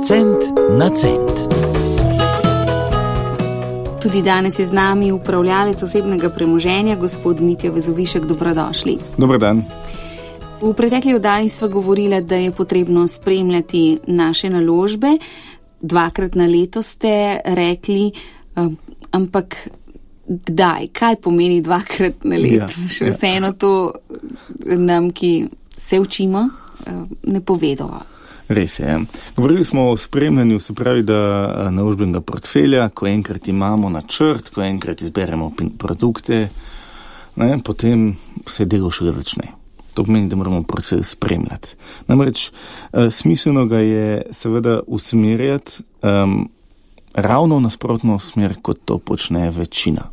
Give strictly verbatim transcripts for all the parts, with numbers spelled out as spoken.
Cent na cent. Tudi danes je z nami upravljalec osebnega premoženja, gospod Mitja Vezovišek. Dobrodošli. Dobar dan. V pretekli oddaji sva govorila, da je potrebno spremljati naše naložbe. Dvakrat na leto ste rekli, ampak kdaj? Kaj pomeni dvakrat na leto? Ja, Še ja. Vseeno to nam, ki se učimo, ne povedo. Res je. Govorili smo o spremljanju, se pravi, da naložbenega portfelja, ko enkrat imamo načrt, ko enkrat izberemo produkte, ne, potem se delo šele začne. To pomeni, da moramo portfelj spremljati. Namreč smiselno ga je seveda usmerjati um, ravno v nasprotno smer, kot to počne večina.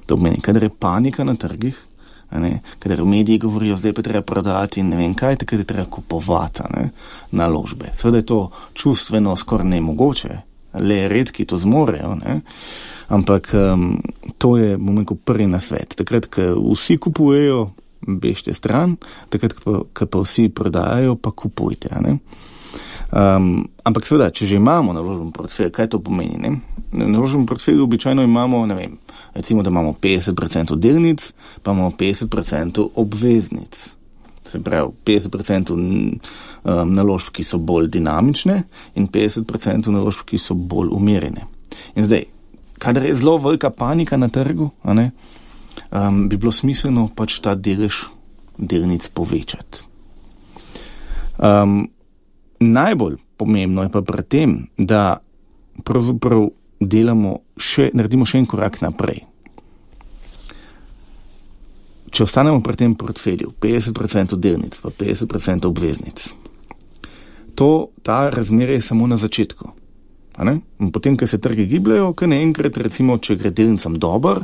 To pomeni, kadar je panika na trgih, ne, kadar v mediji govorijo, zdaj pa treba prodati in ne vem kaj, takrat je treba kupovati ne, naložbe. Seveda je to čustveno skoraj nemogoče, le redki to zmorejo, ne, ampak um, to je, bom rekel, prvi nasvet. Takrat, ko vsi kupujejo, bežte stran, takrat, ko pa vsi prodajajo, pa kupujte. Ne. Um, ampak seveda, če že imamo naložben portfelj, kaj to pomeni? Ne? Naložben portfelj običajno imamo, ne vem, recimo, da imamo petdeset procentov delnic, pa imamo petdeset procentov obveznic. Se pravi, petdeset procentov um, naložb, ki so bolj dinamične in petdeset procentov naložb, ki so bolj umirjene. In zdaj, kadar je zelo velika panika na trgu, a ne, um, bi bilo smiselno pač ta delež delnic povečati. Um, najbolj pomembno je pa pri tem, da pravzaprav delamo še, naredimo še en korak naprej. Če ostanemo pri tem portfelju, petdeset procentov delnic, pa petdeset procentov obveznic, to, ta razmerje je samo na začetku. A ne? Potem, ko se trgi gibljajo, ko naenkrat, recimo, če gre delnicam dober,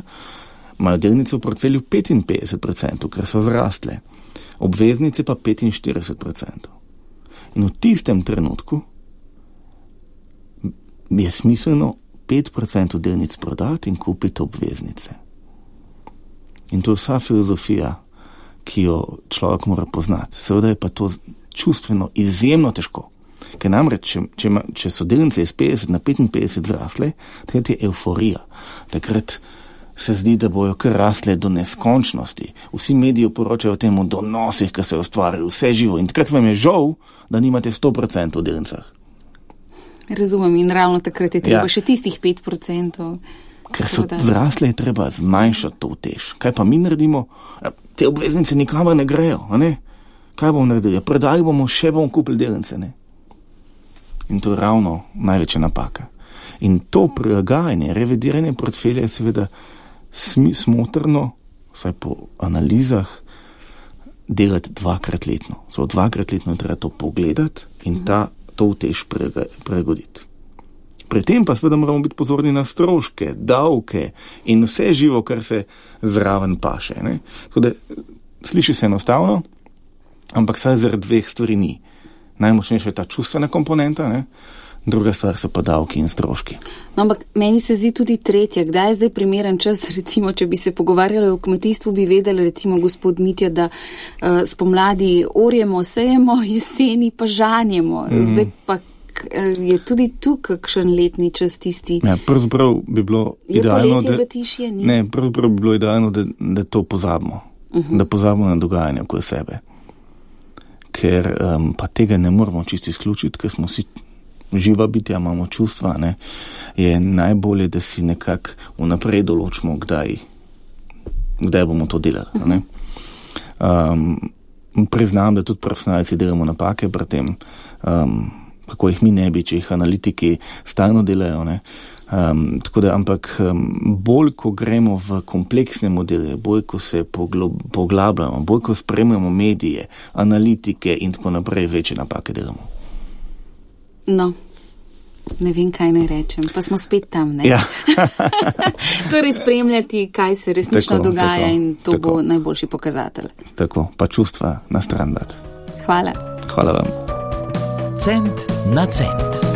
imajo delnice v portfelju petinpetdeset procentov, ker so zrastle. Obveznice pa petinštirideset procentov. In v tistem trenutku je smiselno pet procentov delnic prodati in kupiti obveznice. In to je vsa filozofija, ki jo človek mora poznati. Seveda je pa to čustveno izjemno težko. Ker namreč, če, če, če so delnice iz petdeset na petinpetdeset zrasle, takrat je euforija. Takrat se zdi, da bojo kar rasle do neskončnosti. Vsi mediji poročajo o tem o donosih, ki se ustvarjajo, vse živo. In takrat vam je žal, da nimate sto procentov v delnicah. Razumem, in ravno takrat je treba ja. še tistih pet procentov. Ker so zrasle, je treba zmanjšati to utež. Kaj pa mi naredimo? Te obveznice nikamor ne grejo, a ne? Kaj bomo naredili? Prodali bomo, še bomo kupili delnice, ne? In to je ravno največja napaka. In to prilagajanje, revidiranje portfelja je seveda smotrno, vsaj po analizah, delati dvakrat letno. So dvakrat letno je treba to pogledati in ta, to utež pregoditi. Pri tem pa seveda moramo biti pozorni na stroške, davke in vse živo, kar se zraven paše. Ne? Tako da sliši se enostavno, ampak saj zaradi dveh stvari ni. Najmočnejša je ta čustvena komponenta, ne? Druga stvar so pa davki in stroški. No, ampak meni se zdi tudi tretja. Kdaj je zdaj primeren čas, recimo, če bi se pogovarjali o kmetijstvu, bi vedeli, recimo, gospod Mitja, da uh, spomladi orjemo, sejemo, jeseni pa žanjemo. Mm. Zdaj pa uh, je tudi tu kakšen letni čas tisti. Ja, pravzaprav bi bilo idealno, da, zatišje, ne, pravzaprav bi bilo idealno, da, da to pozabimo. Uh-huh. Da pozabimo na dogajanje okoli sebe. Ker um, pa tega ne moramo čisto izključiti, ker smo si živa bitja, imamo čustva, ne, je najbolje, da si nekako vnaprej določimo, kdaj, kdaj bomo to delali. Ne. Um, priznam, da tudi profesionalci delamo napake pri tem, um, kako jih mi ne bi, če jih analitiki stalno delajo. Ne. Um, tako da, ampak um, bolj, ko gremo v kompleksne modele, bolj, ko se poglob, poglabljamo, bolj, ko spremljamo medije, analitike in tako naprej, večje napake delamo. No, ne vem, kaj naj rečem, pa smo spet tam, ne? Ja. Torej spremljati, kaj se resnično tako, dogaja tako, in to tako. Bo najboljši pokazatelj. Tako, pa čustva na stran dati. Hvala. Hvala vam. Cent na cent.